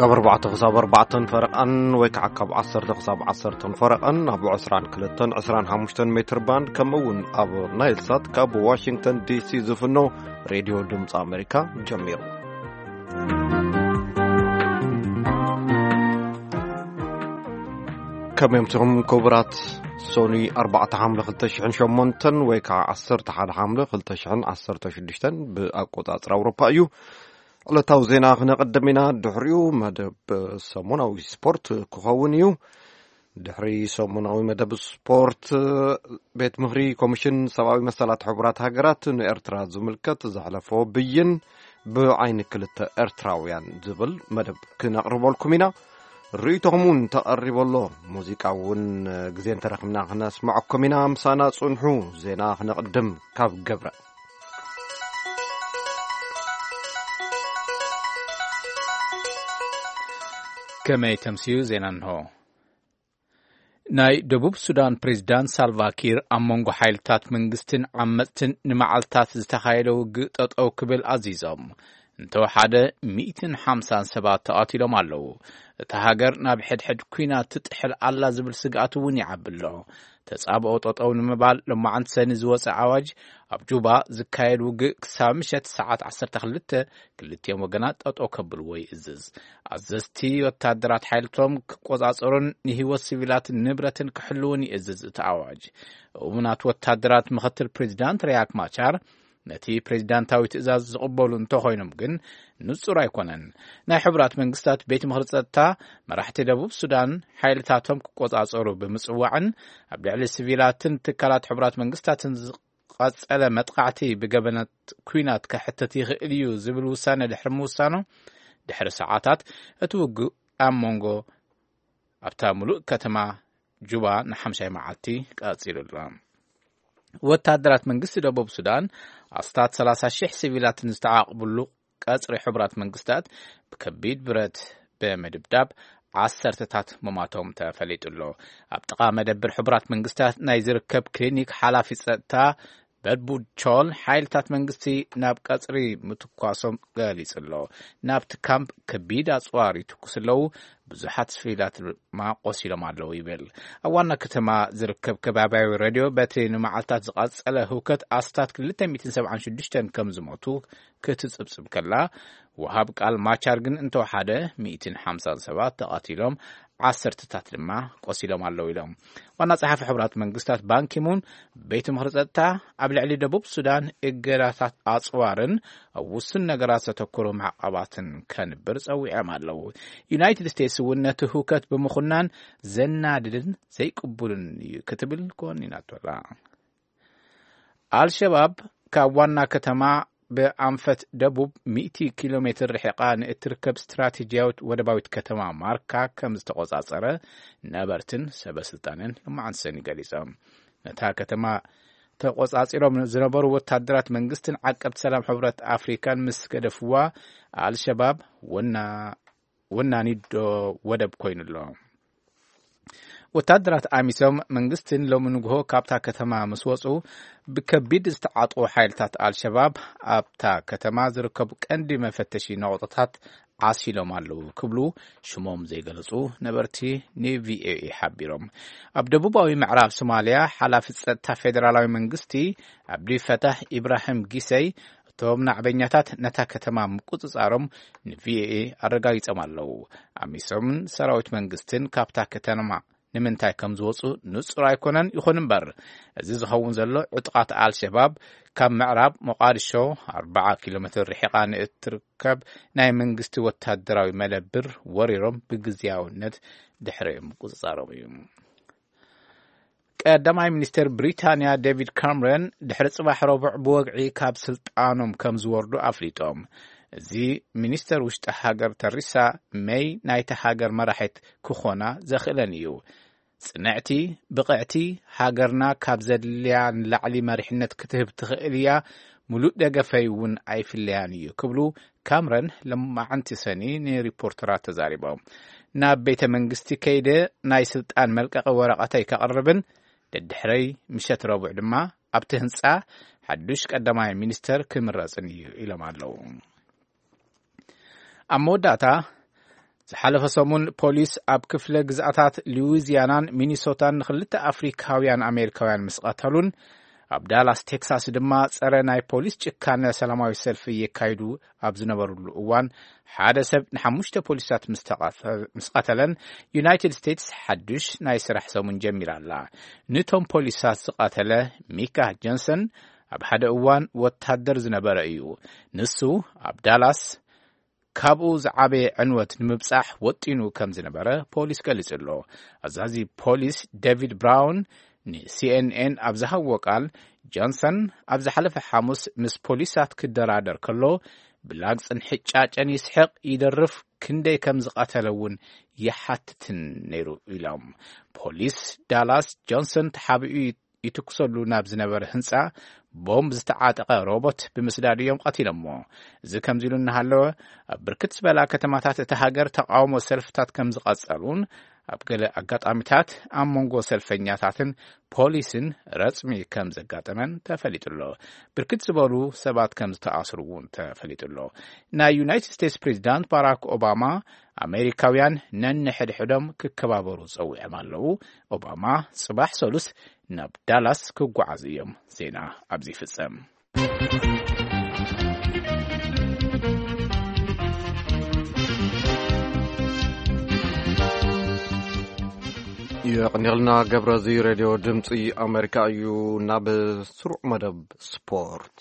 ካብ ኣርባዕተ ክሳብ ኣርባዕተን ፈረቓን ወይ ከዓ ካብ ዓሰርተ ክሳብ ዓሰርተን ፈረቓን ኣብ ዕስራን ክልተን ዕስራን ሓሙሽተን ሜትር ባንድ፣ ከምኡ እውን ኣብ ናይል ሳት ካብ ዋሽንግተን ዲ ሲ ዝፍኖ ሬድዮ ድምፂ ኣሜሪካ ጀሚሩ። ከመይ ኣምሲኹም ክቡራት? ሶኒ ኣርባዕተ ሓምለ ክልተ ሽሕን ሸሞንተን ወይ ከዓ ዓሰርተ ሓደ ሓምለ ክልተ ሽሕን ዓሰርተ ሽዱሽተን ብኣቆጻጽራ ኣውሮፓ እዩ። ዕለታዊ ዜና ክነቐድም ኢና። ድሕሪኡ መደብ ሰሙናዊ ስፖርት ክኸውን እዩ። ድሕሪ ሰሙናዊ መደብ ስፖርት፣ ቤት ምኽሪ ኮሚሽን ሰብኣዊ መሰላት ሕቡራት ሃገራት ንኤርትራ ዝምልከት ዘሕለፎ ብይን ብዓይኒ ክልተ ኤርትራውያን ዝብል መደብ ክነቕርበልኩም ኢና። ርእይቶኹም እውን ተቐሪቡ ኣሎ። ሙዚቃ እውን ግዜ እንተረኺብና ክነስምዐኩም ኢና። ምሳና ጽንሑ። ዜና ክነቕድም ካብ ገብረ። ከመይ ተምስዩ? ዜና እንሆ። ናይ ደቡብ ሱዳን ፕሬዝዳንት ሳልቫ ኪር ኣብ መንጎ ሓይልታት መንግስትን ዓመፅትን ንመዓልታት ዝተኻየደ ውግእ ጠጠው ክብል ኣዚዞም። እንተወሓደ ሚእትን ሓምሳን ሰባት ተቓቲሎም ኣለዉ። እታ ሃገር ናብ ሕድሕድ ኲናት ትጥሕል ኣላ ዝብል ስግኣት እውን ይዓቢ ኣሎ። ተጻብኦ ጠጠው ንምባል ሎማዓንቲ ሰኒ ዝወጸ ኣዋጅ፣ ኣብ ጁባ ዝካየድ ውግእ ክሳብ ምሸት ሰዓት ዓሰርተ ክልተ ክልቲኦም ወገናት ጠጠው ከብልዎ ይእዝዝ። ኣዘዝቲ ወታደራት ሓይልቶም ክቆጻጸሩን ንህይወት ሲቪላትን ንብረትን ክሕልውን ይእዝዝ እቲ ኣዋጅ። እሙናት ወታደራት ምኽትል ፕሬዚዳንት ሪያክ ማቻር ነቲ ፕሬዚዳንታዊ ትእዛዝ ዝቕበሉ እንተኾይኖም ግን ንጹር ኣይኮነን። ናይ ሕቡራት መንግስታት ቤት ምኽሪ ጸጥታ መራሕቲ ደቡብ ሱዳን ሓይልታቶም ክቆጻጸሩ ብምጽዋዕን ኣብ ልዕሊ ሲቪላትን ትካላት ሕቡራት መንግስታትን ዝቐጸለ መጥቃዕቲ ብገበናት ኲናት ከሕትት ይኽእል እዩ ዝብል ውሳነ ድሕሪ ምውሳኑ፣ ድሕሪ ሰዓታት እቲ ውግእ ኣብ መንጎ ኣብታ ምሉእ ከተማ ጁባ ንሓምሻይ መዓልቲ ቀጺሉ ኣሎ። ወታደራት መንግስቲ ደቡብ ሱዳን ኣስታት ሰላሳ ሺሕ ሲቪላትን ዝተዓቕብሉ ቀጽሪ ሕቡራት መንግስታት ብከቢድ ብረት ብምድብዳብ ዓሰርተታት መማቶም ተፈሊጡ ኣሎ። ኣብ ጥቓ መደብር ሕቡራት መንግስታት ናይ ዝርከብ ክሊኒክ ሓላፊ ጸጥታ በድቡድ ቾል ሓይልታት መንግስቲ ናብ ቀጽሪ ምትኳሶም ገሊጹ ኣሎ። ናብቲ ካምፕ ከቢድ ኣጽዋር ይትኩስ ኣለዉ፣ ብዙሓት ሲቪላት ድማ ቆሲሎም ኣለዉ ይብል። ኣብ ዋና ከተማ ዝርከብ ከባቢያዊ ሬድዮ በቲ ንመዓልታት ዝቐጸለ ህውከት ኣስታት ክልተ ሚእትን ሰብዓን ሽዱሽተን ከም ዝሞቱ ክትጽብጽብ ከላ፣ ወሃብ ቃል ማቻር ግን እንተወሓደ ሚእትን ሓምሳን ሰባት ተቐቲሎም፣ ዓሰርተታት ድማ ቆሲሎም ኣለዉ ኢሎም። ዋና ጸሓፊ ሕቡራት መንግስታት ባንኪሙን ቤት ምኽሪ ጸጥታ ኣብ ልዕሊ ደቡብ ሱዳን እገዳታት ኣጽዋርን ኣብ ውሱን ነገራት ዘተኮሩ ማዕቐባትን ከንብር ጸዊዖም ኣለዉ። ዩናይትድ ስቴትስ እውን ነቲ ህውከት ብምኹናን ዘናድድን ዘይቅቡልን እዩ ክትብል ኮኒናቶ ኣላ። ኣልሸባብ ካብ ዋና ከተማ ብኣንፈት ደቡብ ሚእቲ ኪሎ ሜትር ርሒቓ ንእትርከብ ስትራቴጂያዊት ወደባዊት ከተማ ማርካ ከም ዝተቖጻጸረ ነበርትን ሰበ ስልጣንን ሎማዓንቲ ሰኒ ገሊጾም። ነታ ከተማ ተቖጻጺሮም ዝነበሩ ወታደራት መንግስትን ዓቀብቲ ሰላም ሕብረት ኣፍሪካን ምስ ገደፍዋ፣ ኣልሸባብ ወና ወናኒዶ ወደብ ኮይኑ ኣሎ። ወታደራት ኣሚሶም መንግስትን ሎሚ ንግሆ ካብታ ከተማ ምስ ወጹ፣ ብከቢድ ዝተዓጥቑ ሓይልታት ኣልሸባብ ኣብታ ከተማ ዝርከቡ ቀንዲ መፈተሺ ነቑጣታት ዓሲሎም ኣለዉ ክብሉ ሽሞም ዘይገለጹ ነበርቲ ንቪኦኤ ሓቢሮም። ኣብ ደቡባዊ ምዕራብ ሶማልያ ሓላፊ ጸጥታ ፌደራላዊ መንግስቲ ኣብዲ ፈታሕ ኢብራሂም ጊሰይ፣ እቶም ናዕበኛታት ነታ ከተማ ምቁጽጻሮም ንቪኦኤ ኣረጋጊጾም ኣለዉ። ኣሚሶምን ሰራዊት መንግስትን ካብታ ከተማ ንምንታይ ከም ዝወጹ ንጹር ኣይኮነን። ይኹን እምበር፣ እዚ ዝኸውን ዘሎ ዕጡቓት ኣልሸባብ ካብ ምዕራብ ሞቓዲሾ ኣርብዓ ኪሎ ሜትር ርሒቓ ንእትርከብ ናይ መንግስቲ ወታደራዊ መደብር ወሪሮም ብግዝያውነት ድሕሪኦም ምቁጽጻሮም እዩ። ቀዳማይ ሚኒስትር ብሪታንያ ዴቪድ ካምረን ድሕሪ ጽባሕ ረቡዕ ብወግዒ ካብ ስልጣኖም ከም ዝወርዱ ኣፍሊጦም። እዚ ሚኒስተር ውሽጢ ሃገር ተሪሳ ሜይ ናይታ ሃገር መራሒት ክኾና ዘኽእለን እዩ። ጽንዕቲ፣ ብቕዕቲ፣ ሃገርና ካብ ዘድልያ ንላዕሊ መሪሕነት ክትህብ ትኽእል እያ፣ ምሉእ ደገፈይ እውን ኣይፍለያን እዩ ክብሉ ካምረን ሎማዓንቲ ሰኒ ንሪፖርተራት ተዛሪቦም። ናብ ቤተ መንግስቲ ከይደ ናይ ስልጣን መልቀቂ ወረቐተይ ከቕርብን ደድሕረይ ምሸት ረቡዕ ድማ ኣብቲ ህንጻ ሓዱሽ ቀዳማይ ሚኒስተር ክምረጽን እዩ ኢሎም ኣለዉ። ኣብ መወዳእታ፣ ዝሓለፈ ሰሙን ፖሊስ ኣብ ክፍለ ግዝኣታት ሉዊዚያናን ሚኒሶታን ንኽልተ ኣፍሪካውያን ኣሜሪካውያን ምስ ቀተሉን ኣብ ዳላስ ቴክሳስ ድማ ጸረ ናይ ፖሊስ ጭካነ ሰላማዊ ሰልፊ የካይዱ ኣብ ዝነበሩሉ እዋን ሓደ ሰብ ንሓሙሽተ ፖሊሳት ምስ ተቐተ-፣ ምስ ቀተለን ዩናይትድ ስቴትስ ሓዱሽ ናይ ስራሕ ሰሙን ጀሚራ ኣላ። ንቶም ፖሊሳት ዝቐተለ ሚካ ጆንሰን ኣብ ሓደ እዋን ወታደር ዝነበረ እዩ። ንሱ ኣብ ዳላስ ካብኡ ዝዓበየ ዕንወት ንምብጻሕ ወጢኑ ከም ዝነበረ ፖሊስ ገሊጹ ኣሎ። ኣዛዚ ፖሊስ ዴቪድ ብራውን ንሲኤንኤን ኣብ ዝሃብዎ ቃል፣ ጆንሰን ኣብ ዝሓለፈ ሓሙስ ምስ ፖሊሳት ክደራደር ከሎ ብላግጽን ሕጫጨን ይስሕቕ፣ ይደርፍ፣ ክንደይ ከም ዝቐተለ እውን ይሓትትን ነይሩ ኢሎም። ፖሊስ ዳላስ ጆንሰን ተሓቢኡ ይትኩሰሉ ናብ ዝነበረ ህንጻ ቦምብ ዝተዓጠቐ ሮቦት ብምስዳድ እዮም ቀቲሎሞ። እዚ ከምዚ ኢሉ እናሃለወ፣ ኣብ ብርክት ዝበላ ከተማታት እታ ሃገር ተቃውሞ ሰልፍታት ከም ዝቐጸሉን ኣብ ገለ ኣጋጣሚታት ኣብ መንጎ ሰልፈኛታትን ፖሊስን ረጽሚ ከም ዘጋጠመን ተፈሊጡ ኣሎ። ብርክት ዝበሉ ሰባት ከም ዝተኣስሩ እውን ተፈሊጡ ኣሎ። ናይ ዩናይትድ ስቴትስ ፕሬዚዳንት ባራክ ኦባማ ኣሜሪካውያን ነንሕድሕዶም ክከባበሩ ጸዊዖም ኣለዉ። ኦባማ ጽባሕ ሰሉስ ናብ ዳላስ ክጓዓዙ እዮም። ዜና ኣብዚ ይፍጸም። የቕንየልና ገብረ፣ እዚ ሬድዮ ድምፂ ኣሜሪካ እዩ። ናብ ስሩዕ መደብ ስፖርት።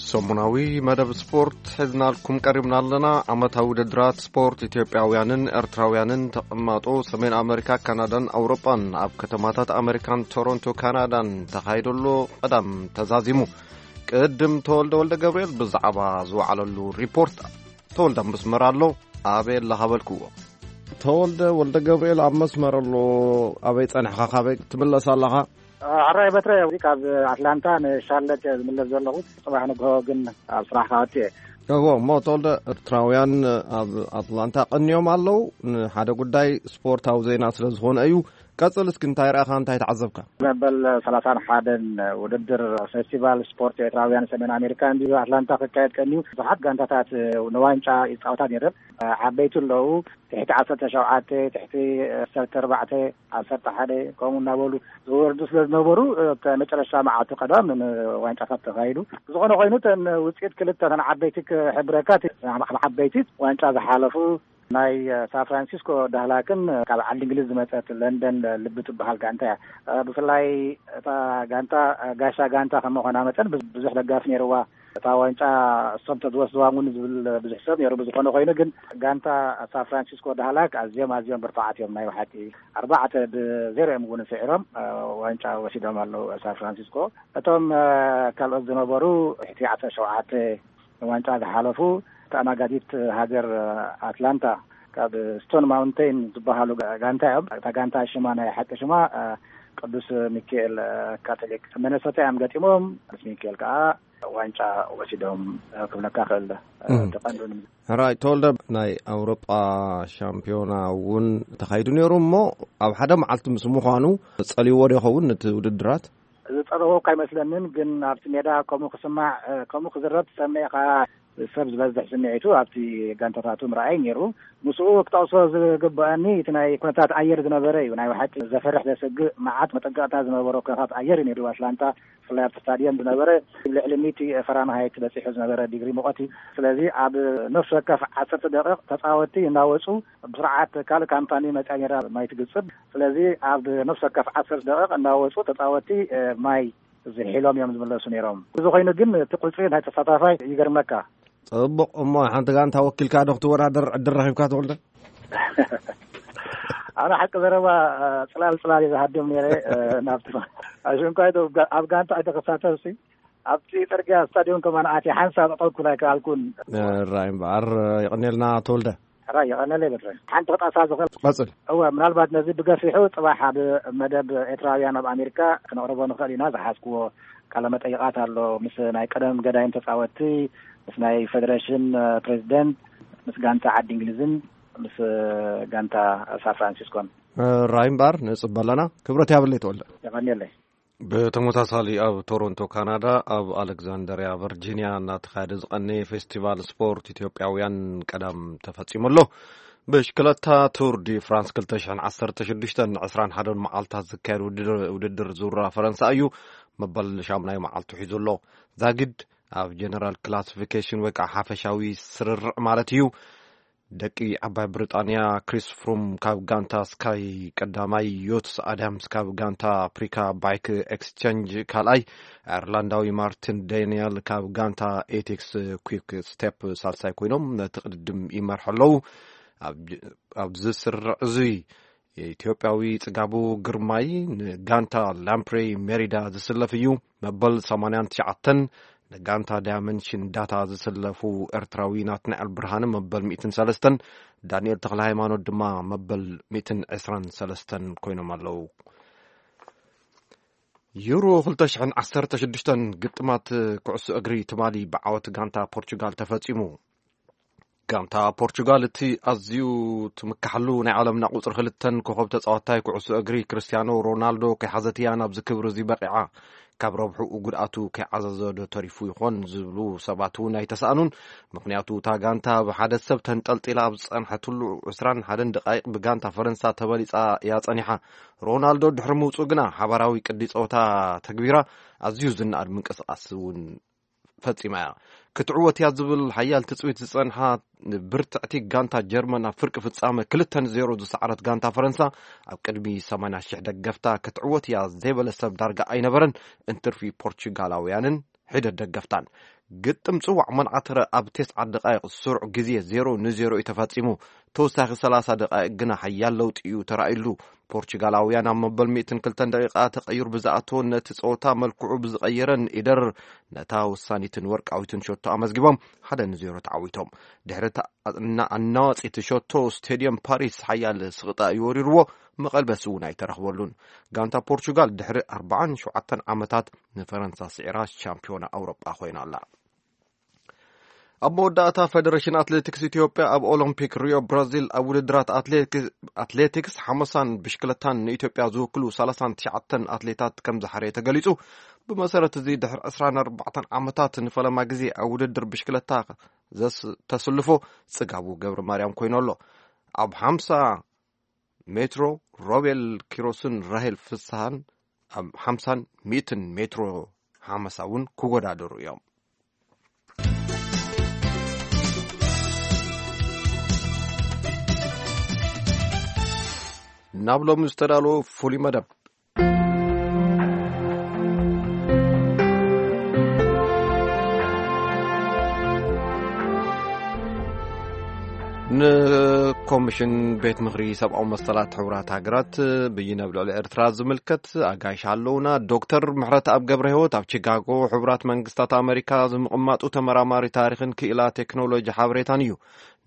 ሰሙናዊ መደብ ስፖርት ሒዝናልኩም ቀሪብና ኣለና። ዓመታዊ ውድድራት ስፖርት ኢትዮጵያውያንን ኤርትራውያንን ተቐማጦ ሰሜን ኣመሪካ፣ ካናዳን ኣውሮጳን ኣብ ከተማታት ኣመሪካን ቶሮንቶ ካናዳን ተኻይዶ ኣሎ። ቀዳም ተዛዚሙ። ቅድም ተወልደ ወልደ ገብርኤል ብዛዕባ ዝወዓለሉ ሪፖርት። ተወልደ ኣብ መስመር ኣሎ። ኣበይ ኣለኻ በልክዎ። ተወልደ ወልደ ገብርኤል ኣብ መስመር ኣሎ። ኣበይ ጸኒሕኻ፣ ካበይ ትምለስ ኣለኻ? ሕራይ በትረ፣ እዚ ካብ ኣትላንታ ንሻርለት እየ ዝምለስ ዘለኹ። ጽባሕ ንግሆ ግን ኣብ ስራሕ ክኣቱ እየ። እዎ፣ እሞ ተወልደ፣ ኤርትራውያን ኣብ ኣትላንታ ቀንዮም ኣለዉ። ንሓደ ጉዳይ ስፖርታዊ ዜና ስለ ዝኾነ እዩ። ቀጽል እስኪ፣ እንታይ ረኣኻ፣ እንታይ ተዓዘብካ? መበል ሰላሳን ሓደን ውድድር ፌስቲቫል ስፖርት ኤርትራውያን ሰሜን ኣሜሪካ እንዲዩ ኣትላንታ ክካየድ ቀንዩ። ብዙሓት ጋንታታት ንዋንጫ ይጻወታ ነይረን። ዓበይቲ ኣለዉ፣ ትሕቲ ዓሰርተ ሸውዓተ፣ ትሕቲ ዓሰርተ ኣርባዕተ፣ ዓሰርተ ሓደ ከምኡ እናበሉ ዝወርዱ ስለ ዝነበሩ፣ እቲ መጨረሻ መዓልቲ ቀዳም ንዋንጫታት ተኻይዱ። ዝኾነ ኮይኑ፣ እተን ውጽኢት ክልተ እተን ዓበይቲ ክሕብረካ፣ እቲ ዓበይቲ ዋንጫ ዝሓለፉ ናይ ሳን ፍራንሲስኮ ዳህላክን ካብ ዓዲ እንግሊዝ ዝመጸት ለንደን ልቢ ትበሃል ጋንታ እያ። ብፍላይ እታ ጋንታ ጋሻ ጋንታ ከም ምዃና መጠን ብዙ-፣ ብዙሕ ደጋፊ ነይርዋ። እታ ዋንጫ እሶም ተዝወስድዋ እውን ዝብል ብዙሕ ሰብ ነይሩ። ብዝኾነ ኮይኑ ግን ጋንታ ሳን ፍራንሲስኮ ዳህላክ ኣዝዮም ኣዝዮም ብርቱዓት እዮም ናይ ብሓቂ። ኣርባዕተ ብዜሮ እዮም እውን ስዒሮም ዋንጫ ወሲዶም ኣለዉ ሳን ፍራንሲስኮ። እቶም ካልኦት ዝነበሩ ትሕቲ ዓሰርተ ሸውዓተ ዋንጫ ዝሓለፉ ተኣናጋዲት ሃገር ኣትላንታ ካብ ስቶን ማውንቴን ዝበሃሉ ጋ-፣ ጋንታ እዮም። እታ ጋንታ ሽማ ናይ ሓቂ ሽማ ቅዱስ ሚካኤል ካቶሊክ ሚነሶታ እዮም ገጢሞም። ቅዱስ ሚካኤል ከዓ ዋንጫ ወሲዶም ክብለካ ክእል። እም። ተቐንዱን ሕራይ ተወልደ፣ ናይ ኣውሮጳ ሻምፒዮና እውን ተኻይዱ ነይሩ እሞ ኣብ ሓደ መዓልቲ ምስ ምዃኑ ጸልይዎ ዶ ይኸውን ነቲ ውድድራት? ዝጸለዎ እኳ ኣይመስለንን፣ ግን ኣብቲ ሜዳ ከምኡ ክስማዕ፣ እ፣ ከምኡ ክዝረብ ትሰምዕ ኢኻ። ሰብ ዝበዝሕ ስምዒቱ ኣብቲ ጋንታታቱ ምርኣይ ነይሩ። ምስኡ ክጠቕሶ ዝግበኣኒ እቲ ናይ ኩነታት ኣየር ዝነበረ እዩ። ናይ ብሓቂ ዘፈርሕ ዘሰግእ መዓት መጠንቀቕታ ዝነበሮ ኩነታት ኣየር እዩ ነይሩ። ኣትላንታ ብፍላይ ኣብቲ ስታድየም ዝነበረ ልዕሊ ሚእቲ ፈራንሃይት በጺሑ ዝነበረ ዲግሪ ሙቐት እዩ። ስለዚ ኣብ ነፍሲ ወከፍ ዓሰርተ ደቂቕ ተጻወትቲ እናወጹ ብስርዓት ካልእ ካምፓኒ መጽያ ነይራ ማይ ትግጽብ። ስለዚ ኣብ ነፍሲ ወከፍ ዓሰርተ ደቂቕ እናወጹ ተጻወትቲ፣ እ፣ ማይ ዝሒሎም እዮም ዝምለሱ ነይሮም። እዚ ኮይኑ ግን እቲ ቁጽሪ ናይ ተሳታፋይ ይገርመካ። ጽቡቕ። እሞ ሓንቲ ጋንታ ወኪልካ ዶ ክትወዳደር ዕድል ረኺብካ ተወልደ? ኣነ ሓቂ ዘረባ፣ እ፣ ጽላል ጽላል እየ ዝሃድም ነይረ፣ እ፣ ናብቲ ሽንኳይ ዶ ጋ-፣ ኣብ ጋንታ ኣይተኸሳተፍሲ። ኣብቲ ጽርግያ ስታድዮም ከማን ኣትየ ሓንሳብ ጠጠው ክብል ኣይከኣልኩን። ራይ እምበኣር፣ የቐንየልና ተወልደ። ራይ የቐንየለይ በትረ። ሓንቲ ክጣሳ ዝኽእል። ቀጽል። እወ፣ ምናልባት ነዚ ብገፊሑ ጽባሕ ኣብ መደብ ኤርትራውያን ኣብ ኣሜሪካ ክነቕርቦ ንኽእል ኢና ዝሓዝክዎ ቃለ መጠይቓት ኣሎ። ምስ ናይ ቀደም ገዳይም ተጻወትቲ፣ ምስ ናይ ፌደሬሽን፣ እ፣ ፕሬዚደንት፣ ምስ ጋንታ ዓዲ እንግሊዝን ምስ፣ እ፣ ጋንታ ሳን ፍራንሲስኮን። ራይ እምበኣር ንጽበ ኣለና። ክብረት ያብለይ ተወልደ። የቐንየለይ። ብተመሳሳሊ ኣብ ቶሮንቶ ካናዳ፣ ኣብ ኣሌክዛንደርያ ቨርጂንያ እናተኻየደ ዝቐነየ ፌስቲቫል ስፖርት ኢትዮጵያውያን ቀዳም ተፈጺሙ ኣሎ። ብሽክለታ ቱር ዲ ፍራንስ ክልተ ሽሕን ዓሰርተ ሽዱሽተን ዕስራን ሓደን መዓልታት ዝካየድ ውድድር፣ ውድድር ዙራ ፈረንሳ እዩ። መበል ሻምናይ መዓልቱ ሒዙ ኣሎ። ዛጊድ ኣብ ጀነራል ክላሲፊኬሽን ወይ ከዓ ሓፈሻዊ ስርርዕ ማለት እዩ። ደቂ ዓባይ ብሪጣንያ ክሪስ ፍሩም ካብ ጋንታ ስካይ ቀዳማይ፣ ዮትስ ኣዳምስ ካብ ጋንታ ኣፍሪካ ባይክ ኤክስቸንጅ ካልኣይ፣ ኣየርላንዳዊ ማርቲን ዳኒኤል ካብ ጋንታ ኤቲክስ ኩክ ስቴፕ ሳልሳይ ኮይኖም ነቲ ቅድድም ይመርሑ ኣለዉ። ኣብ-፣ ኣብዚ ስርርዕ እዚ ኢትዮጵያዊ ጽጋቡ ግርማይ ንጋንታ ላምፕሬ ሜሪዳ ዝስለፍ እዩ። መበል ሰማንያን ትሽዓተን ንጋንታ ዳያመንሽን ዳታ ዝስለፉ ኤርትራዊ ናትናኤል ብርሃነ መበል ሚእትን ሰለስተን፣ ዳንኤል ተኽለ ሃይማኖት ድማ መበል ሚእትን ዕስራን ሰለስተን ኮይኖም ኣለዉ። ዩሮ ክልተ ሽሕን ዓሰርተ ሽዱሽተን ግጥማት ኩዕሶ እግሪ ትማሊ ብዓወት ጋንታ ፖርቹጋል ተፈጺሙ። ጋንታ ፖርቹጋል እቲ ኣዝዩ ትምካሓሉ ናይ ዓለምና ቁጽሪ ክልተን ኮኸብ ተጻዋታይ ኩዕሶ እግሪ ክርስቲያኖ ሮናልዶ ከይሓዘት እያ ናብዚ ክብሪ እዚ በቂዓ። ካብ ረብሕኡ ጉድኣቱ ከይዓዘዘ ዶ ተሪፉ ይኾን ዝብሉ ሰባት እውን ኣይተሰኣኑን። ምኽንያቱ እታ ጋንታ ብሓደ ሰብ ተንጠልጢላ ኣብ ዝጸንሐትሉ ዕስራን ሓደን ደቃይቕ ብጋንታ ፈረንሳ ተበሊጻ እያ ጸኒሓ። ሮናልዶ ድሕሪ ምውጽኡ ግና ሓባራዊ ቅዲ ጸወታ ተግቢራ ኣዝዩ ዝነኣድ ምንቅስቓስ እውን ፈጺማ እያ። ክትዕወት እያ ዝብል ሓያል ትጽቢት ዝጸንሓ ብርትዕቲ ጋንታ ጀርመን ኣብ ፍርቂ ፍጻመ ክልተ ንዜሮ ዝሰዓረት ጋንታ ፈረንሳ ኣብ ቅድሚ ሰማንያ ሽሕ ደገፍታ ክትዕወት እያ ዘይበለ ሰብ ዳርጋ ኣይነበረን፣ እንትርፊ ፖርቹጋላውያንን ሒደት ደገፍታን። ግጥም ጽዋዕ መንዓትረ ኣብ ተስዓት ደቃይቕ ስሩዕ ግዜ ዜሮ ንዜሮ እዩ ተፈጺሙ። ተወሳኺ ሰላሳ ደቃይቕ ግና ሓያል ለውጢ እዩ ተራእዩሉ። ፖርቹጋላውያን ኣብ መበል ሚእትን ክልተን ደቂቃ ተቐይሩ ብዝኣተወን ነቲ ጸወታ መልክዑ ብዝቐየረን ኢደር ነታ ወሳኒትን ወርቃዊትን ሸቶ ኣመዝጊቦም ሓደ ንዜሮ ተዓዊቶም። ድሕሪ እታ ኣና-፣ ኣናዋጺት ሸቶ ስቴድየም ፓሪስ ሓያል ስቕጣ እዩ ወሪርዎ፣ መቐልበሲ እውን ኣይተረኽበሉን። ጋንታ ፖርቹጋል ድሕሪ ኣርባዓን ሸውዓተን ዓመታት ንፈረንሳ ስዒራ ሻምፒዮና ኣውሮጳ ኮይና ኣላ። ኣብ መወዳእታ፣ ፌደሬሽን ኣትሌቲክስ ኢትዮጵያ ኣብ ኦሎምፒክ ሪዮ ብራዚል ኣብ ውድድራት ኣትሌቲክ-፣ ኣትሌቲክስ ሓመሳን ብሽክለታን ንኢትዮጵያ ዝውክሉ ሰላሳን ትሽዓተን ኣትሌታት ከም ዝሓረየ ተገሊጹ። ብመሰረት እዚ፣ ድሕሪ ዕስራን ኣርባዕተን ዓመታት ንፈለማ ግዜ ኣብ ውድድር ብሽክለታ ዘስ-፣ ተስልፎ ጽጋቡ ገብረ ማርያም ኮይኑ ኣሎ። ኣብ ሓምሳ ሜትሮ ሮቤል ኪሮስን ራሄል ፍስሃን ኣብ ሓምሳን ሚእትን ሜትሮ ሓመሳ እውን ክወዳደሩ እዮም። ናብ ሎሚ ዝተዳለወ ፍሉይ መደብ። ንኮሚሽን ቤት ምኽሪ ሰብኣዊ መሰላት ሕቡራት ሃገራት ብይን ኣብ ልዕሊ ኤርትራ ዝምልከት ኣጋይሽ ኣለውና። ዶክተር ምሕረተኣብ ገብረ ህይወት ኣብ ቺካጎ ሕቡራት መንግስታት ኣመሪካ ዝምቕማጡ ተመራማሪ ታሪኽን ክኢላ ቴክኖሎጂ ሓበሬታን እዩ።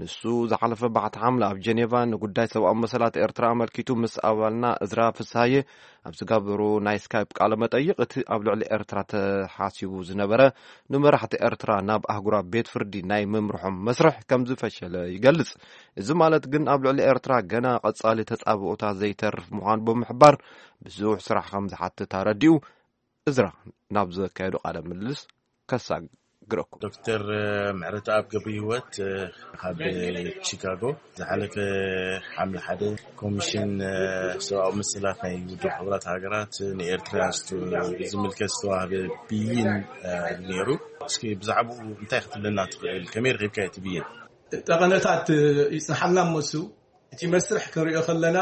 ንሱ ዝሓለፈ ባሕቲ ሓምለ ኣብ ጀኔቫ ንጉዳይ ሰብኣዊ መሰላት ኤርትራ ኣመልኪቱ ምስ ኣባልና እዝራ ፍስሃየ ኣብ ዝገበሮ ናይ ስካይፕ ቃለ መጠይቕ፣ እቲ ኣብ ልዕሊ ኤርትራ ተሓሲቡ ዝነበረ ንመራሕቲ ኤርትራ ናብ ኣህጉራዊ ቤት ፍርዲ ናይ ምምርሖም መስርሕ ከም ዝፈሸለ ይገልጽ። እዚ ማለት ግን ኣብ ልዕሊ ኤርትራ ገና ቀጻሊ ተጻብኦታት ዘይተርፍ ምዃኑ ብምሕባር፣ ብዙሕ ስራሕ ከም ዝሓትት ኣረዲኡ። እዝራ ናብ ዘካየዶ ቃለ ምልልስ ከሳግረኩም። ዶክተር ምሕረተኣብ ገብረ ህይወት፣ ካብ ቺካጎ፣ ዝሓለፈ ሓምለ ሓደ ኮሚሽን ሰብኣዊ መሰላት ናይ ውድብ ሕቡራት ሃገራት ንኤርትራ ዝምልከት ዝተዋህበ ብይን ነይሩ። እስኪ ብዛዕባኡ እንታይ ክትብለና ትኽእል? ከመይ ረኺብካዮ እቲ ብይን? ጠቐነታት ይጽንሓልና እሞ፣ እሱ እቲ መስርሕ ክንሪኦ ከለና፣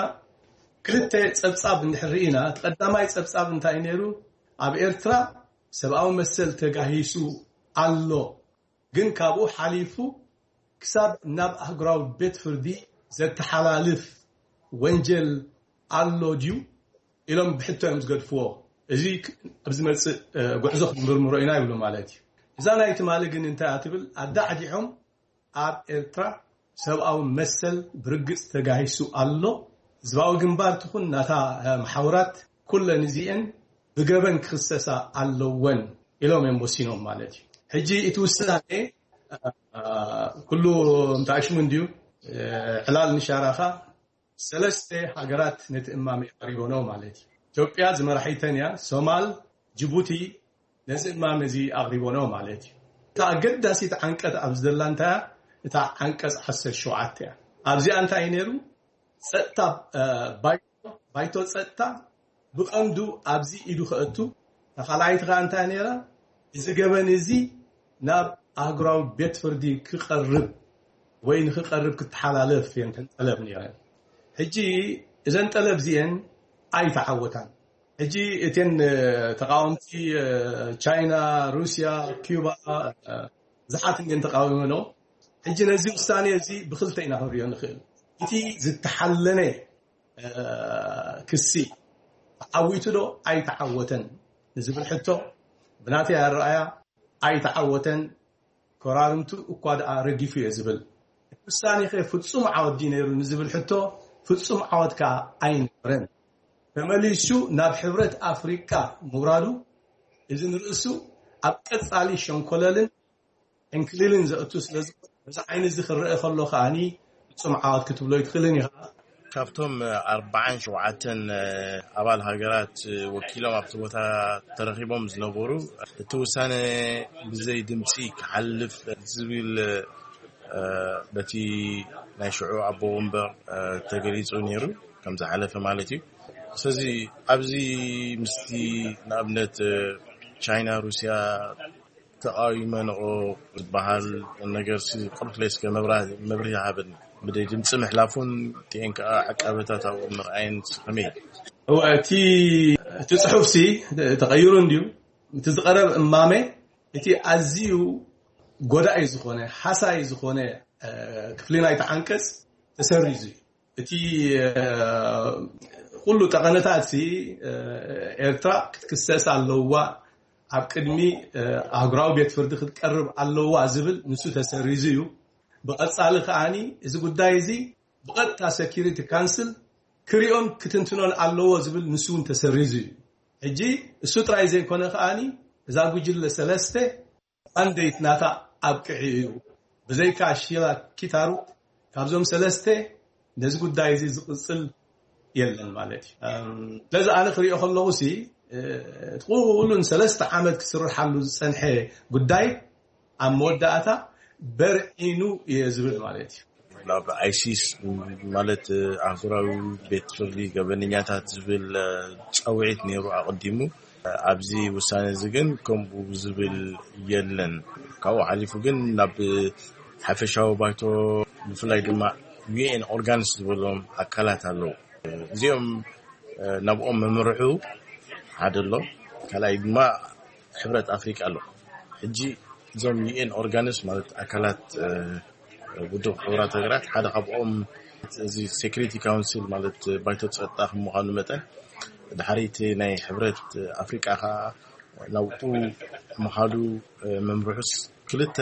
ክልተ ጸብጻብ እንድሕር ርኢና፣ እቲ ቀዳማይ ጸብጻብ እንታይ ነይሩ? ኣብ ኤርትራ ሰብኣዊ መሰል ተጋሂሱ ኣሎ፣ ግን ካብኡ ሓሊፉ ክሳብ ናብ ኣህጉራዊ ቤት ፍርዲ ዘተሓላልፍ ወንጀል ኣሎ ድዩ ኢሎም ብሕቶ እዮም ዝገድፍዎ። እዚ ክ-፣ ኣብ ዝመጽእ፣ እ፣ ጉዕዞ ክንምርምሮ ኢና ይብሉ ማለት እዩ። እዛ ናይ ትማሊ ግን እንታይ እያ ትብል? ኣዳዕዲዖም ኣብ ኤርትራ ሰብኣዊ መሰል ብርግጽ ተጋሂሱ ኣሎ። ህዝባዊ ግንባር ትኹን ናታ፣ እ፣ መሓውራት ኩለን እዚኤን ብገበን ክኽሰሳ ኣለወን ኢሎም እዮም ወሲኖም ማለት እዩ። ሕጂ እቲ ውሳኔ፣ እ፣ ኩሉ እንተኣሽሙ እንድዩ፣ እ፣ ዕላል ንሻራኻ ሰለስተ ሃገራት ነቲ እማመ ቀሪቦኖ ማለት እዩ። ኢትዮጵያ ዝመራሒተን እያ። ሶማል፣ ጅቡቲ ነዚ እማመ እዚ ኣቕሪቦኖ ማለት እዩ። እታ ኣገዳሲት ዓንቀት ኣብ ዝደላ እንታይ እያ? እታ ዓንቀጽ ዓሰርተ ሸውዓተ እያ። ኣብዚኣ እንታይ እዩ ነይሩ? ጸጥታ፣ እ፣ ባይቶ፣ ባይቶ ጸጥታ ብቐንዱ ኣብዚ ኢዱ ከእቱ። ካልኣይቲ ከኣ እንታይ ነይራ? እዚ ገበን እዚ ናብ ኣህጉራዊ ቤት ፍርዲ ክቐርብ ወይ ንክቐርብ ክተሓላለፍ እየን እተን ጠለብ ነይረን። ሕጂ እዘን ጠለብ እዚአን ኣይተዓወታን። ሕጂ እተን፣ እ፣ ተቃወምቲ፣ እ፣ ቻይና፣ ሩስያ፣ ኪዩባ፣ እ፣ ብዙሓት እንድን ተቃዊመንኦ። ሕጂ ነዚ ውሳኔ እዚ ብክልተ ኢና ክንሪኦ ንኽእል። እቲ ዝተሓለነ፣ እ፣ ክሲ ተዓዊቱ ዶ ኣይተዓወተን ንዝብል ሕቶ ብናተይ ኣረኣያ ኣይተዓወተን። ኮራርምቱ እኳ ደኣ ረጊፉ እየ ዝብል። እቲ ውሳኔ ከ ፍጹም ዓወት ድዩ ነይሩ ንዝብል ሕቶ ፍጹም ዓወት ከኣ ኣይነበረን። ተመሊሱ ናብ ሕብረት ኣፍሪቃ ምውራዱ እዚ ንርእሱ ኣብ ቀጻሊ ሸንኮለልን ዕንክሊልን ዘእቱ ስለ ዝኾነ፣ በዚ ዓይኒ እዚ ክረአ ከሎ ከኣኒ ፍጹም ዓወት ክትብሎ ኣይትኽእልን ኢኻ። ካብቶም ኣርባዓን ሸውዓተን ኣባል ሃገራት ወኪሎም ኣብቲ ቦታ ተረኺቦም ዝነበሩ፣ እቲ ውሳነ ብዘይ ድምፂ ክሓልፍ ዝብል፣ እ፣ በቲ ናይ ሽዑ ኣቦ ወንበር፣ እ፣ ተገሊጹ ነይሩ፣ ከም ዝሓለፈ ማለት እዩ። ስለዚ ኣብዚ ምስቲ ንኣብነት፣ እ፣ ቻይና፣ ሩስያ ተቃዊመንኦ ዝበሃል ነገር ሲ ቁርፍለይ እስከ መብራ-፣ መብርሂ ሃበኒ። ብደይ ድምፂ ምሕላፉን እቲአን ከዓ ዕቃበታት ኣብኡ ምርኣየን ሲ ከመይ? እወ፣ እቲ፣ እቲ ጽሑፍ ሲ ተቐይሩ እንድዩ። እቲ ዝቐረብ እማመ፣ እቲ ኣዝዩ ጎዳኢ ዝኾነ፣ ሃሳይ ዝኾነ፣ እ፣ ክፍሊ ናይቲ ዓንቀጽ ተሰሪዙ እዩ። እቲ፣ እ፣ ኩሉ ጠቐነታት ሲ፣ እ፣ ኤርትራ ክትክሰስ ኣለዋ፣ ኣብ ቅድሚ፣ እ፣ ኣህጉራዊ ቤት ፍርዲ ክትቀርብ ኣለዋ ዝብል ንሱ ተሰሪዙ እዩ። ብቐጻሊ ከኣኒ እዚ ጉዳይ እዚ ብቐጥታ ሰኪሪቲ ካንስል ክሪኦን ክትንትኖን ኣለዎ ዝብል ንሱ እውን ተሰሪዙ እዩ። ሕጂ እሱ ጥራይ ዘይኮነ ከኣኒ እዛ ጉጅለ ሰለስተ ማንዴት ናታ ኣብቅዒ እዩ። ብዘይካ ሺላ ኪታሩ ካብዞም ሰለስተ ነዚ ጉዳይ እዚ ዝቕጽል የለን ማለት እዩ። እም፣ ስለዚ ኣነ ክሪኦ ከለኹ ሲ፣ እ፣ እቲ ኩሉን ሰለስተ ዓመት ክስርሓሉ ዝጸንሐ ጉዳይ ኣብ መወዳእታ በርዒኑ እየ ዝብል ማለት እዩ። ናብ ኣይሲስ ማለት ኣህጉራዊ ቤት ፍርዲ ገበነኛታት ዝብል፣ እ፣ ጻውዒት ነይሩ ኣቐዲሙ። ኣብዚ ውሳነ እዚ ግን ከምኡ ዝብል የለን። ካብኡ ሓሊፉ ግን ናብ ሓፈሻዊ ባይቶ ብፍላይ ድማ ዩ ኤን ኦርጋንስ ዝበሎም ኣካላት ኣለዉ። እዚኦም፣ እ፣ ናብኦም መምርሑ ሓደ ኣሎ። ካልኣይ ድማ ሕብረት ኣፍሪቃ ኣሎ። ሕጂ እዞም ዩ ኤን ኦርጋንስ ማለት ኣካላት፣ እ፣ ውድብ ሕቡራት ሃገራት ሓደ ካብኦም እዚ ሴኩሪቲ ካውንስል ማለት ባይቶ ጸጥታ ከም ምዃኑ መጠን ድሓሪት ናይ ሕብረት ኣፍሪቃ ከዓ ናብኡ ምኻዱ፣ እ፣ መምርሑስ ክልተ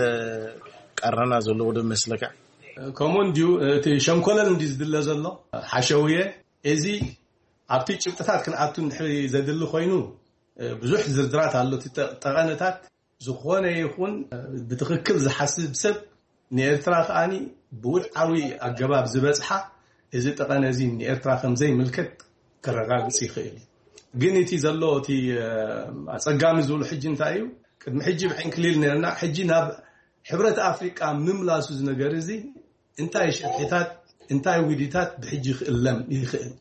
ቃራና ዘለዎ ዶ መስለካ? ከምኡ እንድዩ፣ እቲ ሸንኮለል እንድዩ ዝድለ ዘሎ ሓሸውየ። እዚ ኣብቲ ጭብጥታት ክንኣቱ እንድሕሪ ዘድሊ ኮይኑ፣ እ፣ ብዙሕ ዝርዝራት ኣሎ። እቲ ጠ-፣ ጠቐነታት ዝኾነ ይኹን፣ እ፣ ብትኽክል ዝሓስብ ሰብ ንኤርትራ ከኣኒ ብውድዓዊ ኣገባብ ዝበጽሓ እዚ ጠቐነ እዚ ንኤርትራ ከም ዘይምልከት ከረጋግጽ ይኽእል እዩ። ግን እቲ ዘሎ እቲ፣ እ፣ ኣጸጋሚ ዝብሉ ሕጂ እንታይ እዩ? ቅድሚ ሕጂ ብዕንክሊል ነርና፣ ሕጂ ናብ ሕብረት ኣፍሪቃ ምምላሱ እዚ ነገር እዚ እንታይ ሽርሒታት፣ እንታይ ውዲታት ብሕጂ ክእለም ይኽእል?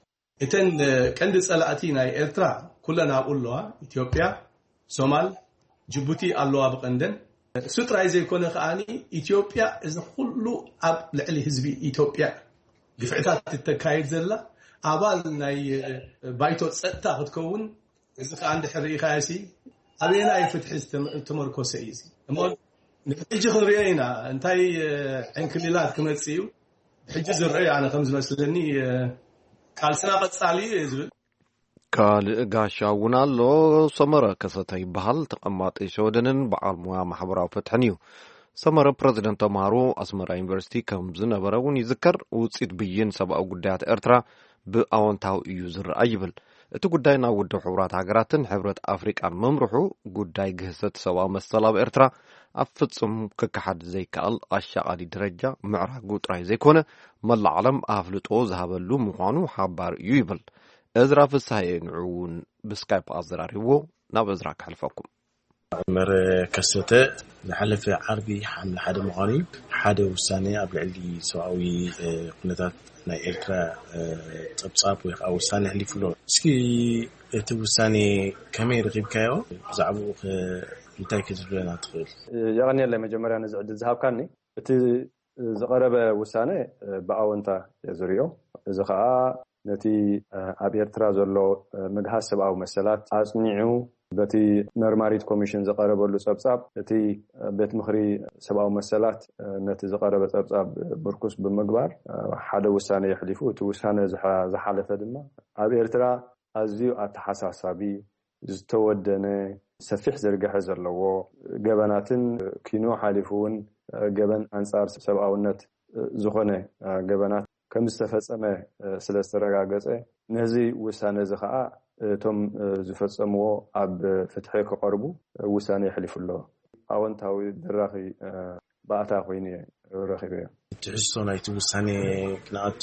እተን፣ እ፣ ቀንዲ ጸላእቲ ናይ ኤርትራ ኩለን ኣብኡ ኣለዋ። ኢትዮጵያ፣ ሶማል፣ ጅቡቲ ኣለዋ ብቐንደን። እሱ ጥራይ ዘይኮነ ከኣኒ ኢትዮጵያ እዚ ኩሉ ኣብ ልዕሊ ህዝቢ ኢትዮጵያ ግፍዕታት እተካይድ ዘላ ኣባል ናይ፣ እ፣ ባይቶ ጸጥታ ክትከውን፣ እዚ ከኣ እንድሕር ርኢኻዮ ሲ ኣበየናይ ፍትሒ ዝተመ-፣ ዝተመርኮሰ እዩ እዚ? እሞ ንሕጂ ክንሪኦ ኢና እንታይ፣ እ፣ ዕንክሊላት ክመጽእ እዩ። ብሕጂ ዝረአዩ ኣነ ከም ዝመስለኒ፣ እ፣ ቃልስና ቀጻሊ እዩ ዝብል። ካልእ ጋሻ እውን ኣሎ። ሰመረ ከሰተ ይበሃል። ተቐማጢ ሸወደንን በዓል ሞያ ማሕበራዊ ፍትሕን እዩ። ሰመረ ፕረዚደንት ተምሃሮ ኣስመራ ዩኒቨርሲቲ ከም ዝነበረ እውን ይዝከር። ውፅኢት ብይን ሰብኣዊ ጉዳያት ኤርትራ ብኣወንታዊ እዩ ዝረኣይ ይብል። እቲ ጉዳይ ናብ ውድብ ሕቡራት ሃገራትን ሕብረት ኣፍሪቃን ምምርሑ፣ ጉዳይ ግህሰት ሰብኣዊ መሰል ኣብ ኤርትራ ኣብ ፍጹም ክከሓድ ዘይከኣል ኣሻቓሊ ደረጃ ምዕራጉ ጥራይ ዘይኮነ፣ መላእ ዓለም ኣፍልጦ ዝሃበሉ ምዃኑ ሓባር እዩ ይብል። እዝራ ፍስሃየ ንዑ እውን ብስካይፕ ኣዘራሪብዎ። ናብ እዝራ ከሕልፈኩም። መረ ከሰተ ዝሓለፈ ዓርቢ ሓምለ ሓደ ምዃኑ እዩ። ሓደ ውሳኔ ኣብ ልዕሊ ሰብኣዊ ኩነታት ናይ ኤርትራ ጸብጻብ ወይ ከዓ ውሳኔ ኣሕሊፉ ኣሎ። እስኪ እቲ ውሳኔ ከመይ ረኺብካዮ? ብዛዕባኡ ከ እንታይ ክትብለና ትኽእል? የቐንየለይ መጀመርያ ነዚ ዕድል ዝሃብካኒ። እቲ ዝቐረበ ውሳነ ብኣወንታ እየ ዝሪኦ። እዚ ኸኣ ነቲ ኣብ ኤርትራ ዘሎ ምግሃስ ሰብኣዊ መሰላት ኣጽኒዑ፣ በቲ መርማሪት ኮሚሽን ዝቐረበሉ ጸብጻብ፣ እቲ ቤት ምኽሪ ሰብኣዊ መሰላት ነቲ ዝቐረበ ጸብጻብ ብርኩስ ብምግባር ሓደ ውሳነ የሕሊፉ። እቲ ውሳነ ዝሓ-፣ ዝሓለፈ ድማ ኣብ ኤርትራ ኣዝዩ ኣተሓሳሳቢ፣ ዝተወደነ፣ ሰፊሕ ዝርግሐ ዘለዎ ገበናትን፣ ኪኖ ሓሊፉ እውን ገበን ኣንጻር ሰብኣውነት ዝኾነ ገበናት ከም ዝተፈጸመ ስለ ዝተረጋገጸ፣ ነዚ ውሳነ እዚ ኸኣ እቶም ዝፈጸምዎ ኣብ ፍትሒ ክቐርቡ ውሳነ የሕሊፉ ኣሎ። ኣወንታዊ ድራኺ ባእታ ኮይኑ እየ ረኺበዮ። ትሕዝቶ ናይቲ ውሳኔ ክንኣቱ፣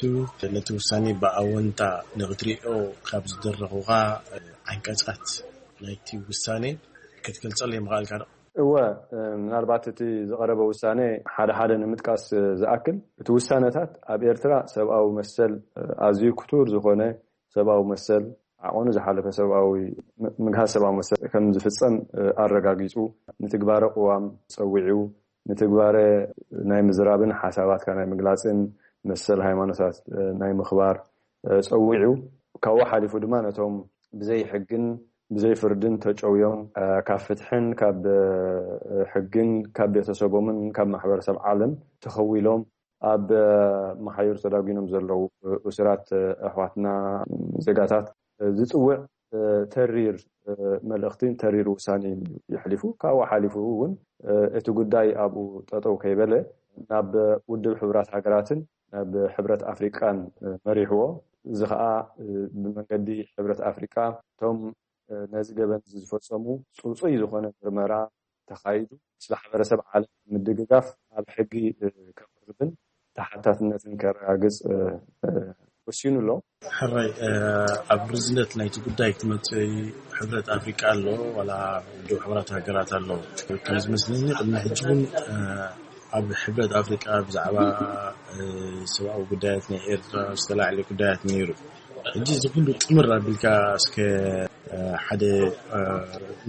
ነቲ ውሳኔ ብኣወንታ ንኽትሪኦ ካብ ዝደረኹኻ ዓንቀጻት ናይቲ ውሳኔ ክትገልጸለይ ምኽኣልካ ዶ? እወ፣ ምናልባት እቲ ዝቐረበ ውሳኔ ሓደ ሓደ ንምጥቃስ ዝኣክል፣ እቲ ውሳነታት ኣብ ኤርትራ ሰብኣዊ መሰል ኣዝዩ ክቱር ዝኾነ ሰብኣዊ መሰል፣ ዓቐኑ ዝሓለፈ ሰብኣዊ ም-፣ ምግሃስ ሰብኣዊ መሰል ከም ዝፍጸም ኣረጋጊጹ፣ ንትግባረ ቅዋም ጸዊዑ፣ ንትግባረ ናይ ምዝራብን ሓሳባትካ ናይ ምግላጽን መሰል ሃይማኖታት ናይ ምኽባር ጸዊዑ፣ ካብኡ ሓሊፉ ድማ ነቶም ብዘይ ሕግን ብዘይ ፍርድን ተጨውዮም ካብ ፍትሕን ካብ ሕግን ካብ ቤተሰቦምን ካብ ማሕበረሰብ ዓለም ተኸዊሎም ኣብ መሓዩር ተዳጒኖም ዘለዉ እሱራት ኣሕዋትና ዜጋታት ዝጽውዕ ተሪር መልእኽትን ተሪር ውሳኔን እዩ የሕሊፉ። ካብኡ ሓሊፉ እውን እቲ ጉዳይ ኣብኡ ጠጠው ከይበለ ናብ ውድብ ሕቡራት ሃገራትን ናብ ሕብረት ኣፍሪቃን መሪሕዎ። እዚ ኸኣ ብመንገዲ ሕብረት ኣፍሪቃ እቶም ነዚ ገበን እዚ ዝፈጸሙ ጽጹይ ዝኾነ ምርመራ ተኻይዱ፣ ምስ ማሕበረሰብ ዓለም ምድግጋፍ ኣብ ሕጊ ከቕርብን ተሓታትነትን ከረጋግጽ ወሲኑ ኣሎ። ሕራይ፣ ኣብ ርዝነት ናይቲ ጉዳይ ክትመጽእ ሕብረት ኣፍሪቃ ኣሎ፣ ዋላ ውድብ ሕቡራት ሃገራት ኣሎ። ከም ዝመስለኒ ቅድሚ ሕጂ እውን ኣብ ሕብረት ኣፍሪቃ ብዛዕባ ሰብኣዊ ጉዳያት ናይ ኤርትራ ዝተላዕለ ጉዳያት ነይሩ። ሕጂ እዚ ኩሉ ጥምር ኣቢልካ እስከ ሓደ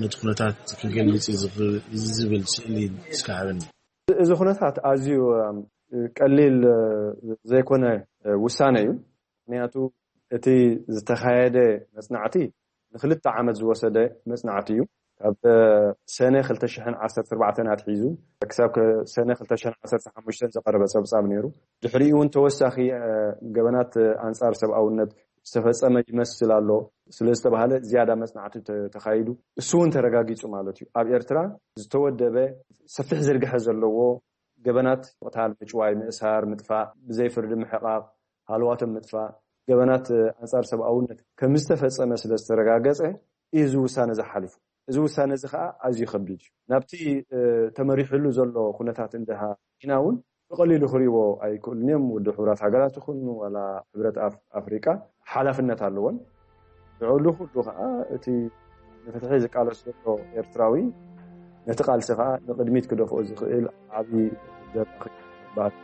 ነቲ ኩነታት ክገልጽ ዝኽእል ዝብል ስእሊ እስከ ሃበኒ። እዚ ኩነታት ኣዝዩ ቀሊል ዘይኮነ ውሳነ እዩ። ምክንያቱ እቲ ዝተኻየደ መጽናዕቲ ንክልተ ዓመት ዝወሰደ መጽናዕቲ እዩ። ካብ ሰነ ክልተ ሽሕን ዓሰርተ ኣርባዕተን ኣትሒዙ ክሳብ ከ-፣ ሰነ ክልተ ሽሕን ዓሰርተ ሓሙሽተን ዝቐረበ ጸብጻብ ነይሩ። ድሕሪኡ እውን ተወሳኺ፣ እ፣ ገበናት ኣንጻር ሰብኣውነት ዝተፈጸመ ይመስል ኣሎ ስለ ዝተባህለ ዝያዳ መጽናዕቲ ተ-፣ ተኻይዱ። እሱ እውን ተረጋጊጹ ማለት እዩ። ኣብ ኤርትራ ዝተወደበ ሰፊሕ ዝርግሐ ዘለዎ ገበናት ምቕታል፣ ምጭዋይ፣ ምእሳር፣ ምጥፋእ፣ ብዘይ ፍርዲ ምሕቓቕ፣ ሃለዋቶም ምጥፋእ፣ ገበናት ኣንጻር ሰብኣውነት ከም ዝተፈጸመ ስለ ዝተረጋገጸ እዩ እዚ ውሳነ ዝሓሊፉ። እዚ ውሳነ እዚ ኸኣ ኣዝዩ ከቢድ እዩ። ናብቲ፣ እ፣ ተመሪሕሉ ዘሎ ኩነታት እንድሃ ኢና እውን ብቐሊሉ ክርእይዎ ኣይክእሉን እዮም። ውድብ ሕቡራት ሃገራት ይኹን ዋላ ሕብረት ኣፍ-፣ ኣፍሪቃ ሓላፍነት ኣለዎን። ንዕኡ ኩሉ ኸኣ እቲ ንፍትሒ ዝቃለስ ዘሎ ኤርትራዊ ነቲ ቃልሲ ኸኣ ንቕድሚት ክደፍኦ ዝኽእል ዓቢ ደራኺ ይበሃል።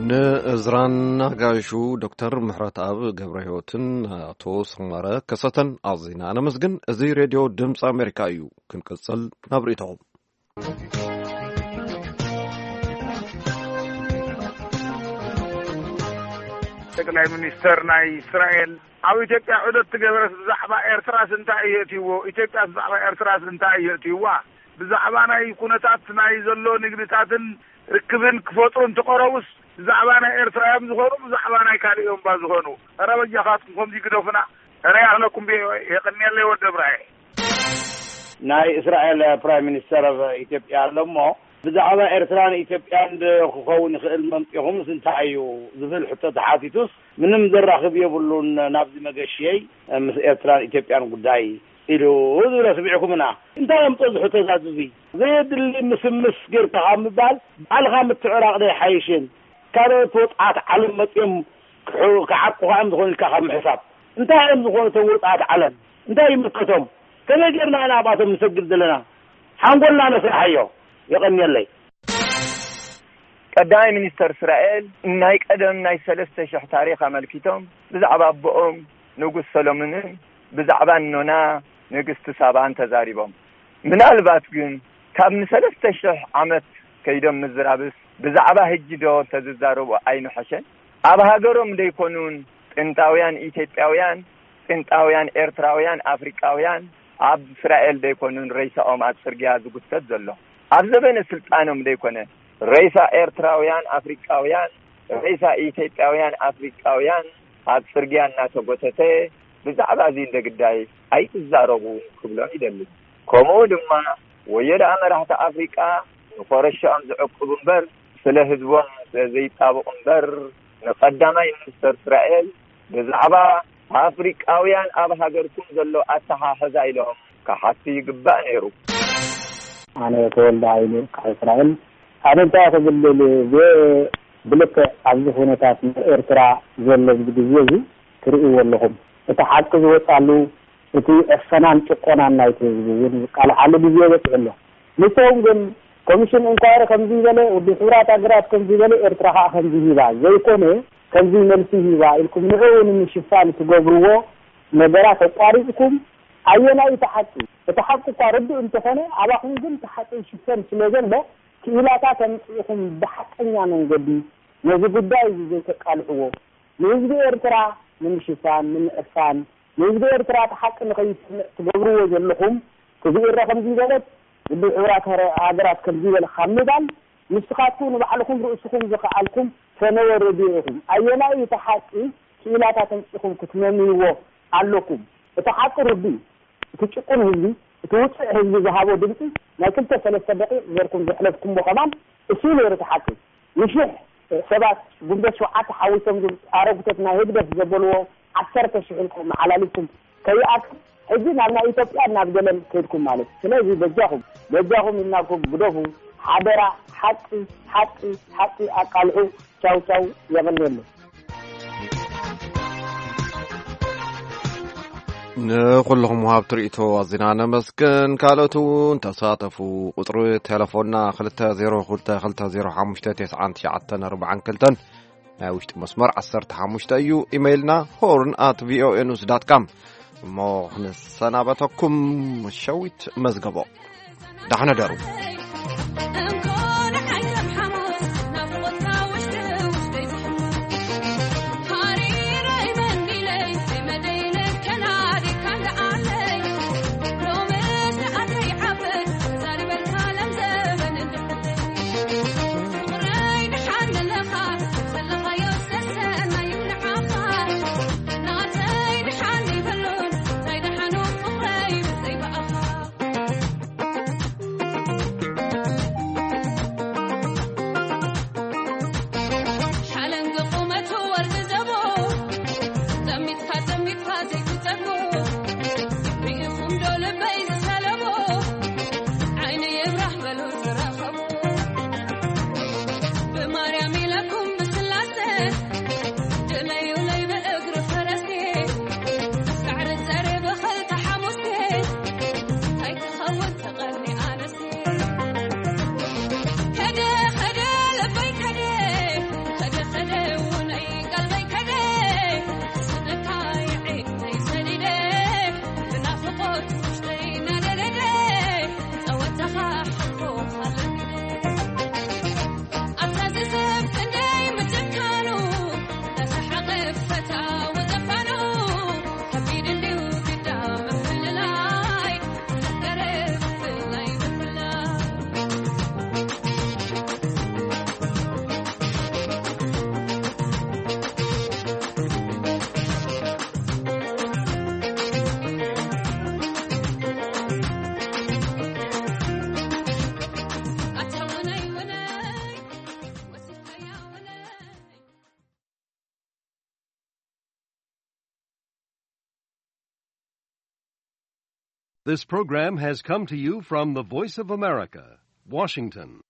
ንእዝራን ኣጋይሹ ዶክተር ምሕረተኣብ ገብረህይወትን ኣቶ ሰመረ ከሰተን ኣዚና ነመስግን። እዚ ሬድዮ ድምፂ ኣሜሪካ እዩ። ክንቅጽል ናብ ርእይቶኹም። ጠቅላይ ሚኒስተር ናይ እስራኤል ኣብ ኢትዮጵያ ዑደት ትገበረስ ብዛዕባ ኤርትራስ እንታይ እዩ እትይዎ? ኢትዮጵያስ ብዛዕባ ኤርትራስ እንታይ እዩ እትይዋ? ብዛዕባ ናይ ኩነታት ናይ ዘሎ ንግድታትን ርክብን ክፈጥሩ እንትቐረቡስ ብዛዕባ ናይ ኤርትራ እዮም ዝኾኑ፣ ብዛዕባ ናይ ካልእ እዮም ባ ዝኾኑ? ኧረ በጃኻትኩም ከምዚ ግደፉና። ኧረ ያኽለኩም ብዮ የቐንየለይ ወደ ብራየ። ናይ እስራኤል ፕራይም ሚኒስተር ኣብ ኢትዮጵያ ኣሎ እሞ፣ ብዛዕባ ኤርትራን ኢትዮጵያን ዶ ክኸውን ይኽእል መምጺኹምስ እንታይ እዩ ዝብል ሕቶ ተሓቲቱስ፣ ምንም ዘራኽብ የብሉን ናብዚ መገሽየይ ምስ ኤርትራን ኢትዮጵያን ጉዳይ ኢሉ ዝብሎ ስሚዕኩምና። እንታይ እዮም ጸዝሑ ተዛዙ? እዚ ዘየድሊ ምስምስ ጌርካ ካብ ምባል ባዕልኻ ምትዕራቕ ዶ ኣይሓይሽን? ካልኦት ወጽዓት ዓለም መጺኦም ክሑ- ክዓቁኻ እዮም ዝኾኑ ኢልካ ካብ ምሕሳብ፣ እንታይ እዮም ዝኾኑ እቶም ወጽዓት ዓለም? እንታይ ይምልከቶም? ከመይ ጌርና ኢና ኣብኣቶም ንሰግድ ዘለና? ሓንጎልና ነስርሓዮ። የቐንየለይ። ቀዳማይ ሚኒስተር እስራኤል ናይ ቀደም ናይ ሰለስተ ሽሕ ታሪኽ ኣመልኪቶም ብዛዕባ ኣቦኦም ንጉስ ሰሎሞንን ብዛዕባ ኖና ንግስቲ ሳባን ተዛሪቦም። ምናልባት ግን ካብ ንሰለስተ ሽሕ ዓመት ከይዶም ምዝራብስ ብዛዕባ ህጂ ዶ እንተዝዛረቡ ኣይንሐሸን? ኣብ ሃገሮም ደይኮኑን ጥንታውያን ኢትዮጵያውያን፣ ጥንታውያን ኤርትራውያን፣ ኣፍሪቃውያን ኣብ እስራኤል ደይኮኑን ሬሳኦም ኣብ ጽርግያ ዝጉተት ዘሎ? ኣብ ዘበነ ስልጣኖም ደይኮነ ሬሳ ኤርትራውያን ኣፍሪቃውያን፣ ሬሳ ኢትዮጵያውያን ኣፍሪቃውያን ኣብ ጽርግያ እናተጎተተ ብዛዕባ እዚ እንደ ግዳይ ኣይትዛረቡ ክብሎም ይደሊ። ከምኡ ድማ ወዮ ደኣ መራሕቲ ኣፍሪቃ ንኾረሻኦም ዝዕቅቡ እምበር ስለ ህዝቦም ስለ ዘይጣበቑ እምበር ንቀዳማይ ሚኒስተር እስራኤል ብዛዕባ ኣፍሪቃውያን ኣብ ሃገርኩም ዘሎ ኣተሓሕዛ ኢሎም ክሓቱ ይግባእ ነይሩ። ኣነ ተወልደ ሃይሉ ካብ እስራኤል። ኣነ እንታይ ክብል ደልየ፣ ብልክዕ ኣብዚ ኩነታት ናይ ኤርትራ ዘሎ ኣብዚ ግዜ እዚ ትርእይዎ ኣለኹም። እቲ ሓቂ ዝወጻሉ እቲ ዕፈናን ጭቆናን ናይቲ ህዝቢ እውን ዝቃልዓሉ ግዜ በጺሑ ኣሎ። ንሶም ግን ኮሚሽን ኢንኳይሪ ከምዚ በለ፣ ውድብ ሕቡራት ሃገራት ከምዚ በለ፣ ኤርትራ ከኣ ከምዚ ሂባ ዘይኮነ፣ ከምዚ መልሲ ሂባ ኢልኩም ንዕኡ ንምሽፋን ትገብርዎ ነገራት ኣቋሪጽኩም፣ ኣየናይ እቲ ሓቂ? እቲ ሓቂ እኳ ርዱእ እንተኾነ፣ ኣባኹም ግን እቲ ሓቂ ይሽፈን ስለ ዘሎ፣ ክኢላታት ኣምጺእኹም ብሓቀኛ መንገዲ ነዚ ጉዳይ እዚ ዘይተቃልሕዎ፣ ንህዝቢ ኤርትራ ንምሽፋን፣ ንምዕፋን፣ ንህዝቢ ኤርትራ እቲ ሓቂ ንኸይስምዕ ትገብርዎ ዘለኹም፣ እቲ ብኤረ ከምዚ በለት፣ ውድብ ሕቡራት ሃረ-፣ ሃገራት ከምዚ በለ ካብ ምባል፣ ንስኻትኩም ንባዕልኹም ርእስኹም ዝኸኣልኩም ፈነወ ሬድዮ ኢኹም። ኣየናይ እቲ ሓቂ ክኢላታት ኣምጺእኹም ክትመምይዎ ኣለኩም? እቲ ሓቂ ርዱእ እዩ። እቲ ጭቁን ህዝቢ፣ እቲ ውጹዕ ህዝቢ ዝሃቦ ድምጺ ናይ ክልተ ሰለስተ ደቂቕ ጌርኩም ዘሕለፍኩምዎ ከማን እሱ እዩ ነይሩ እቲ ሓቂ። ንሽሕ ሰባት ጉንበት ሸውዓተ ሓዊሶም ዝብሉ ኣረጉቶት ናይ ህግደፍ ዘበልዎ ዓሰርተ ሽሕ ኢልኩም መዓላሊኩም ከይኣክል ሕጂ ናብ ናይ ኢትዮጵያ ናብ ገለን ከይድኩም ማለት እዩ። ስለዚ በጃኹም በጃኹም ኢልናኩም ግደፉ ሓደራ። ሓቂ ሓቂ ሓቂ ኣቃልሑ። ቻው ቻው። የቐንየለይ። ንኹልኹም ወሃብቲ ርእይቶ ኣዚና ነመስግን። ካልኦት እውን ተሳተፉ። ቁጽሪ ቴሌፎንና ክልተ ዜሮ ክልተ ክልተ ዜሮ ሓሙሽተ ተስዓን ትሽዓተን ኣርባዓን ክልተን፣ ናይ ውሽጢ መስመር ዓሰርተ ሓሙሽተ እዩ። ኢሜይልና ሆርን ኣት ቪኦኤ ኒውስ ዳት ካም። እሞ ክንሰናበተኩም ሸዊት መዝገቦ። ዳሕነ ደሩ። This program has come to you from the Voice of America, Washington.